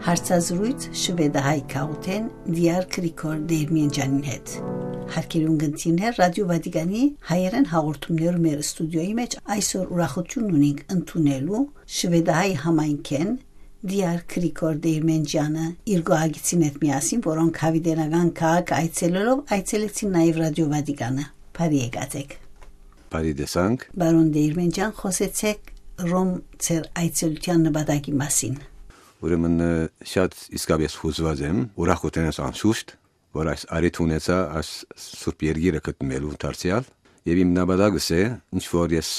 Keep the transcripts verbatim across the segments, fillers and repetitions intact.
Հարցազրոյց շուեդահայ գաղութէն Դիար Գրիգոր Դերմենջանին հետ։ Հարգելի ունգընտիրներ, Ռադիո Վատիկանի հայերեն հաղորդումներու մեր ստուդիոյի մէջ այսօր ուրախութիւն ունենք ընդունելու շուեդահայ համայնքէն Դիար Գրիգոր Դերմենջանը իր գոհագիցին հետ միասին, որոնք Հավիտենական քաղաքը այցելելով այցելեցին նաեւ Ռադիո Վատիկանը։ Բարի եկած եք։ Բարի տեսանք։ Պարոն Դերմենջան, խօսեցէք Ռոմ ձեր այցելութեան նպատակի մասին։ Ուրեմն, ը, շատ իսկապէս յուզուած եմ, ուրախ կ'ուզենամ անշուշտ, որ այս առիթ ունեցայ այս սուրբ երկիրը գտնուելու դարձեալ, եւ իմ նպատակս է, ինչ որ ես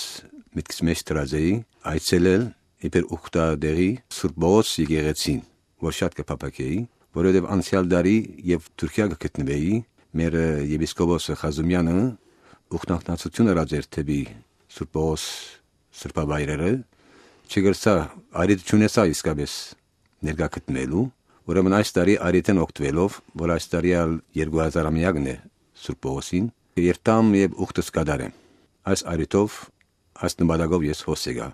միտքս մէջ դրած էի, այցելել իբր ուխտատեղի Սուրբ Պողոս եկեղեցին, որ շատ կը փափաքեի, որովհետեւ անցեալ տարի եւ Թուրքիա կը գտնուէի, մեր, ը, եպիսկոպոսը Խազումյանը ուխտանքնացութիւն ըրած էր դէպի Սուրբ Պողոս սրբավայրերը, չկրցայ, առիթ չունեցայ իսկապէս ներկայ գտնուելու, ուրեմն այս տարի առիթէն օգտուելով, որ այս տարի ալ երկու հազար ամեակն է Սուրբ Պողոսին, երթամ եւ ուխտս կատարեմ։ Այս առիթով, այս նպատակով ես հոս եկայ։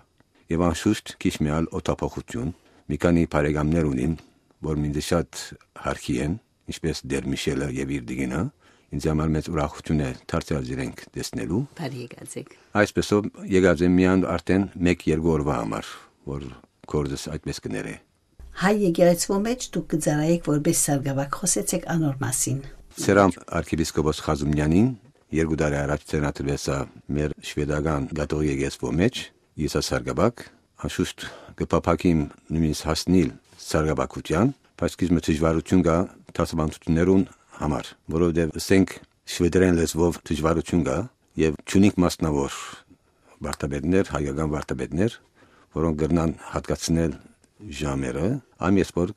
Եւ անշուշտ քիչ մը ալ օդափոխութիւն, մի քանի բարեկամներ ունիմ, որ ինձ շատ հարգի են, ինչպէս Տեր Միշելը եւ իր տիկինը, ինձ համար մեծ ուրախութիւն է դարձեալ իրենք տեսնելու։ Բարի եկած եք։ Այսպեսով եկած եմ միայն արդեն մեկ-երկու օրվա համար, որ գործս այդպես կներէ։ Հայ եկեղեցւոյ մէջ դուք կը ծառայէք որպէս սարկաւակ, խօսեցէք անոր մասին։ Ծերամ արքեպիսկոպոս Խազումյանին երկու տարի առաջ ծերնադրուեցայ մեր շուեդական կաթողիկ եկեղեցւոյ մէջ, եսա սարկաւակ, անշուշտ կը փափաքիմ նոյնիսկ հասնիլ սարկաւակութեան, բայց քիչ մը դժուարութիւն կայ դասավանդութիւններուն համար, որովհետեւ ասենք շուեդերեն լեզուով դժուարութիւն կայ եւ չունինք մասնաւոր վարդապետներ, հայկական վարդապետներ, որոնք կրնան յատկացնել ժամերը, ան ես որ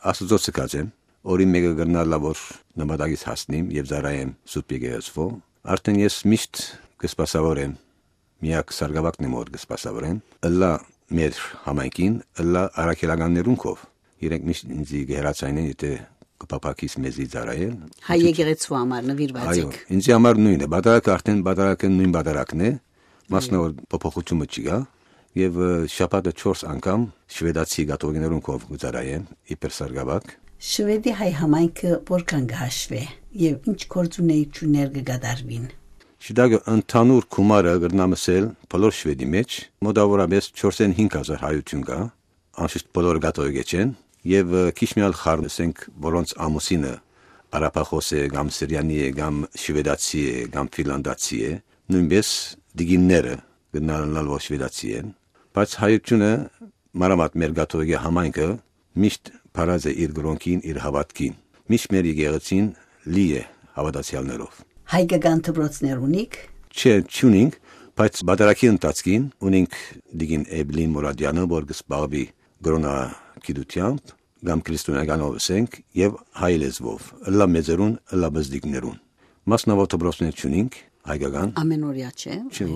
Աստուծոյ ցկած եմ, օրին մէկը կրնալ լա որ նպատակիս հասնիմ եւ ծառայեմ Սուրբ Եկեղեցւոյ, արդեն ես միշտ կը սպասաւորեմ, միակ սարկաւակն եմ որ կը սպասաւորեմ, ըլլայ մեր համայնքին, ըլլայ առաքելականներուն քով, իրենք միշտ ինձի կը հեռացայնեն, եթե կը փափաքիս մեզի ծառայել։ Հայ եկեղեցու համար նվիրված Այո, եք։ Ինձի համար նոյնն է, պատարագը արդեն պատարագը նոյն պատարագն է, մասնաւոր փոփոխութիւնը չի գայ, եւ, ը, շաբաթը չորս անգամ շուեդացի կաթողիկներուն քով կը ծառայեմ, իբր սարկաւակ։ Շուեդի հայ համայնքը որքան կը հաշուէ եւ ինչ գործունեութիւններ կը կատարուին։ Շուտակը ընդհանուր գումարը կրնամ ասել բոլոր Շուեդի մէջ, մոտաւորապէս չորսէն հինգ հազար հայութիւն կայ, անշուշտ բոլորը կաթողիկէ չեն, եւ, ը, քիչ մի ալ խառն, ասենք, որոնց ամուսինը արաբախոս է, կամ սիրիանի է, կամ շուեդացի է, կամ ֆինլանդացի է, նոյնպէս տիկինները կրնան ըլլալ որ շուեդացի են, բայց հայութիւնը, մանաւանդ մեր կաթողիկէ համայնքը, միշտ փարած է իր կրօնքին, իր հաւատքին, միշտ մեր եկեղեցին լի է հաւատացեալներով։ Հայկական դպրոցներ ունիք։ Չէ, չունինք, բայց պատարագի ընթացքին ունինք տիկին Էվլին Մուրադյանը, որ կը զբաղուի կրօնագիտութեամբ, կամ քրիստոնեականով ըսենք, եւ հայ լեզուով, ըլլայ մեծերուն, ըլլայ բզդիկներուն։ Մասնաւոր դպրոցներ չունինք, հայկական։ Ամենօրյա չէ։ Չէ,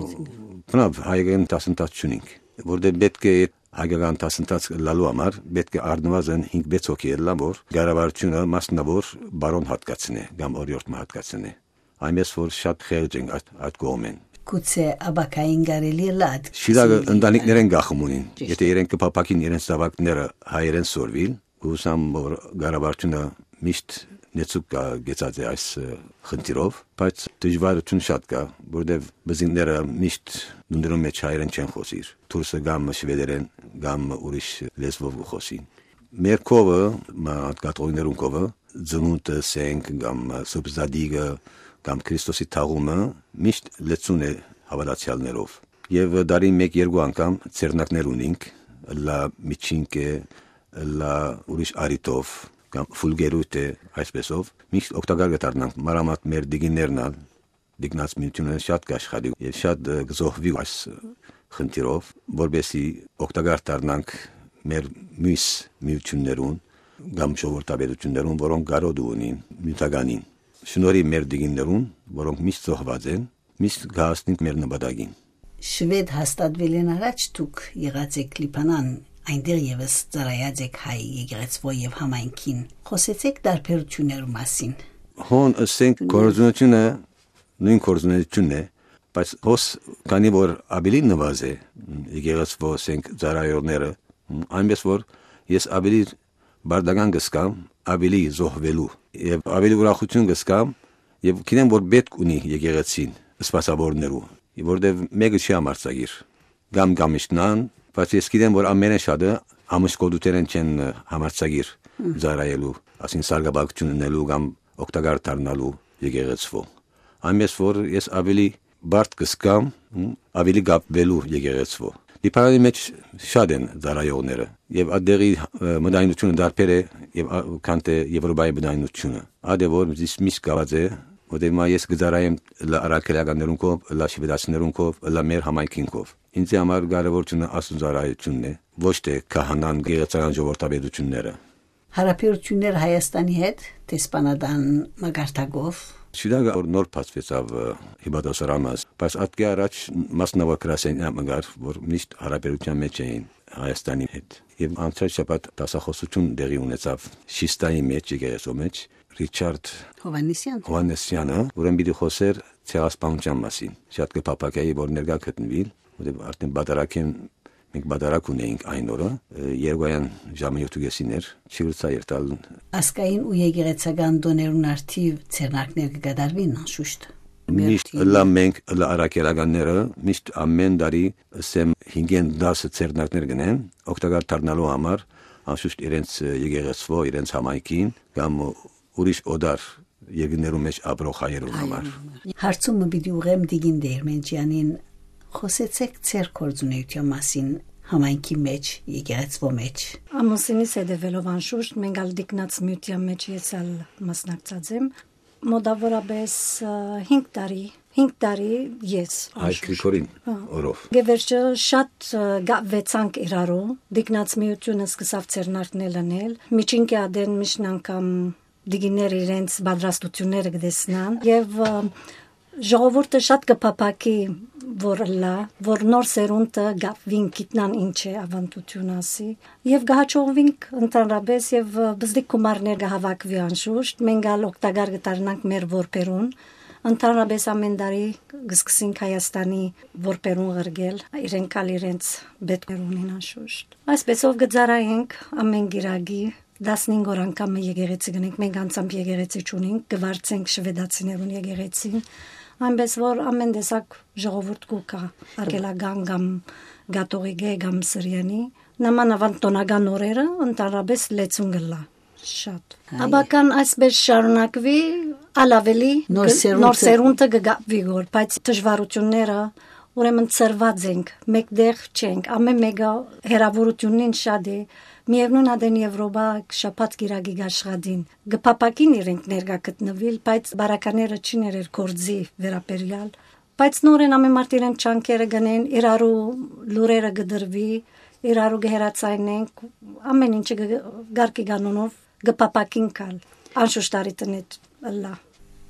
բնավ, հայկական դասընթաց չունինք, որտեղ պետք է այդ հայկական դասընթաց լալու համար պետք է առնուազն հինգ-վեց հոգի ելլա, որ կառավարությունը մասնաւոր պարոյ յատկացնէ կամ օրիորդ մը յատկացնէ։ Այնպես որ շատ խեղճ ենք այդ, այդ կողմէն։ Գուցե ապագային կարելի է լադ Շիրակը ընտանիքներեն գախում ունին։ Ճիշդ։ Եթե իրենք կփափաքին իրենց զաւակները հայերեն սորվիլ, կհուսամ որ կառավարությունը միշտ նեցուկ կա գեցած է այս, ը, խնդիրով, բայց դժվարութիւն շատ կա, որտեւ բզինները միշտ դունդերուն մեջ հայերեն չեն խոսիր, դուրսը կամ շվեդերեն, կամ ուրիշ լեզվով կը խոսին։ Մեր քովը, մա-, կաթողիկներուն քովը, ծնունդը, սենք, կամ Սուրբ Զատիկը, կամ Քրիստոսի թաղումը միշտ լեցուն է հաւատացեալներով։ Եւ տարին մեկ-երկու անգամ ձեռնակներ ունինք, ըլլայ միջինք է, ըլլայ ուրիշ առիթով, կամ ֆուլգերութ է, այսպեսով, միշտ օգտակար կը դառնանք, մանաւանդ մեր տիկիններն ալ, տիկնած միութիւնը շատ կ'աշխատի եւ շատ, ը, կը զոհուի այս, ը, խնդիրով, որպեսզի օգտակար դառնանք մեր միւս միութիւններուն կամ ժողովրդապետութիւններուն, որոնք կարօտը ունին նիւթականին։ Շնորհի մեր տիկիններուն, որոնք միշտ զոհուած են, միշտ կը հասնին մեր նպատակին։ Շուեդ հաստատուելէն առաջ դուք եղած եք Լիբանան, այնտեղ եւս ծառայած եք հայ եկեղեցւոյ եւ համայնքին։ Խօսեցեք տարբերութիւններու մասին։ Հոն, ըսենք, գործունեությունը նոյն գործունեությունն է, բայց հոս քանի որ աւելի նուազ է, եկեղեցւոյ, ըսենք, ծառայողները, այնպես որ ես աւելի պարտական կը զգամ, աւելի զոհուելու եւ աւելի ուրախութիւն կը զգամ, եւ գիտեմ, որ պէտք ունի եկեղեցին սպասաւորներու, որտեւ մէկը չի համարձակիր, կամ կամիչնան, բայց ես գիտեմ, որ ամենէն շատը ամուսկոտութենէն չեն համարձակիր ծառայելու, ասին սարկաբակչություն ունելու կամ օգտակար դառնալու եկեղեցվո։ Այնպես որ ես աւելի բարդ կը զգամ, մ, աւելի կապուելու եկեղեցվո։ Լիբանանի մէջ շատ են ծառայողները, եւ ատեղի, ը, մտայնությունը դարբեր է, եւ ա-, քան թե Եվրոպայի մտայնությունը։ Ատե որ զիս միշտ գաված է, որտեղ մա ես կը ծառայեմ լա առաքելականներուն կով, լա շվեդացիներուն կով, լա մեր համայնքին կով։ Ինձի համար կարեւորությունը Աստծուն ծառայությունն է, ոչ թե քահանան գեղեցական ժողովրդավետությունները։ Հարաբերությունները Հայաստանի հետ դեսպանատան մակարդակով։ Շիրակը որ նոր բացվեցաւ, ը, Հիպատոս Ռամաս, բայց ատկէ առաջ մասնաւոր գրասենյակ մը կար, որ միշտ հարաբերության մեջ էին Հայաստանի հետ։ Եւ անցյալ շաբաթ դասախոսություն տեղի ունեցաւ Շիստայի մեջ, եկեղեցու մեջ, Ռիչարդ Հովհաննիսյան։ Հովհաննիսյանը, ուրեմն պիտի խօսեր ցեղասպանության մասին։ Շատ կը փափագայի, որ ներկայ գտնուիլ, որտեղ արդեն պատարագ են, մենք պատարագ ունեինք այն օրը, ը, երկուային ժամը յոթ ու կեսին էր, չի ուրցա երթալ։ Ազգային ու եկեղեցական տօներուն արդիւ ձեռնարկներ կը կատարվին անշուշտ։ Միշտ Մերթին։ Ըլլա մենք, ըլլա առաքելականները, միշտ ամեն տարի, ասեմ, հինգէն տասը ձեռնարկներ կնեն, օգտակար դառնալու համար, անշուշտ իրենց, ը, եկեղեցվո, իրենց համայնքին, կամ ուրիշ օտար երկրներու մեջ ապրող հայերուն համար։ Հայերուն համար։ Հարցումը պիտի ուղղեմ տիկին Դերմենճյանին, խօսեցէք ձեր գործունեության մասին համայնքի մեջ, եկեղեցվո մեջ։ Ամուսինիս հետևելով անշուշտ, մենք ալ տիկնած միության մեջ ես ալ մասնակցած եմ։ Մոտավորապես, ը, հինգ տարի, հինգ տարի ես Հայ անշուշտ։ Գրիգորին Հա։ օրով։ Գեվերջը շատ, ը, գավեցանք իրարու, տիկնած միությունը սկսավ ձեռնարկնել անել, միջինքի ադեն միշտ անգամ տիկիններ իրենց պատրաստությունները կտեսնան, եւ, ը, ժողովուրդը շատ կը փափաքի, որ ըլլա, որ նոր սերունդը գավին գիտնան ինչ է ավանդություն ասի, եւ կը հաջողվինք ընդհանրապես, եւ, ը, բզդիկ գումարներ կը հավաքուի անշուշտ, մենք ալ օգտակար կը դառնանք մեր որբերուն, ընդհանրապես ամեն տարի կը սկսենք Հայաստանի որբերուն ղրկել, իրենք ալ իրենց պետքեր ունին անշուշտ։ Այսպեսով կը ծառայենք ամեն գիրագի, տասնհինգ օր անգամ մը եկեղեցի գնենք, մենք անձամբ եկեղեցի չունենք, կվարձենք շվեդացիներուն եկեղեցին, այնպես որ ամեն տեսակ ժողովուրդ կու կա, արգելական կամ կաթողիկէ կամ սրյանի, նամանավանդ տոնական օրերը ընդհանրապես լեցուն կ'ըլլայ շատ։ Այ։ Աբական այսպես շարունակուի, ալ ավելի Նոր գ-, սերունդը նոր սերունդը կը գապվի գոր, բայց դժվարությունները, ուրեմն ծրված ենք, մեկտեղ չենք, ամեն մեկը հեռավորությունին շատ է, միևնույն ադեն Եվրոպա շաբաթ կիրակի կաշխատին, կը փափակին իրենք ներկայ գտնուիլ, բայց բարակաները չի ներեր գործի վերաբերյալ, բայց նորեն ամեն մարդ իրեն չանքերը գնեն, իրարու լուրերը կդրվի, իրարու կը հեռացայնենք, ամեն ինչը կը-, կարգի կանոնով կը փափակին կալ, անշուշտ արի տնետ ըլլա։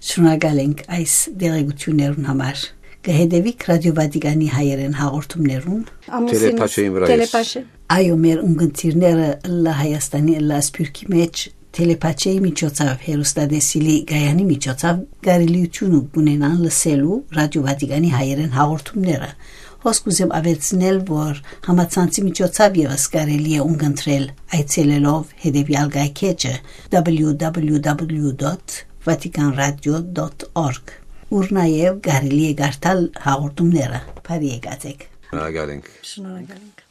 Շնորհակալ ենք այս դեղեցություններուն համար։ Կը հետևիք Ռադիո Վատիկանի հայերեն հաղորդումներուն։ Ամուսինս Տելեպաշեին վրայ ես։ Տելեպաշե։ Այո, մեր ունգընտիրները ըլլա Հայաստանի, ըլլա Սփիւռքի մեջ Տելեպաչեի միջոցաւ, հեռուստատեսիլի կայանի միջոցաv կարելիութիւնը կունենան լսելու Ռադիո Վատիկանի հայերեն հաղորդումները։ Հոս կ'ուզեմ աւելցնել, որ համացանցի միջոցաւ եւս կարելի է ունգընտրել այցելելով հետեւեալ կայքէջը: W W W dot vatican radio dot org, ուր նաեւ կարելի է կարդալ հաղորդումները։ Բարի եկած եք։ Շնորհակալ ենք։ Շնորհակալ ենք։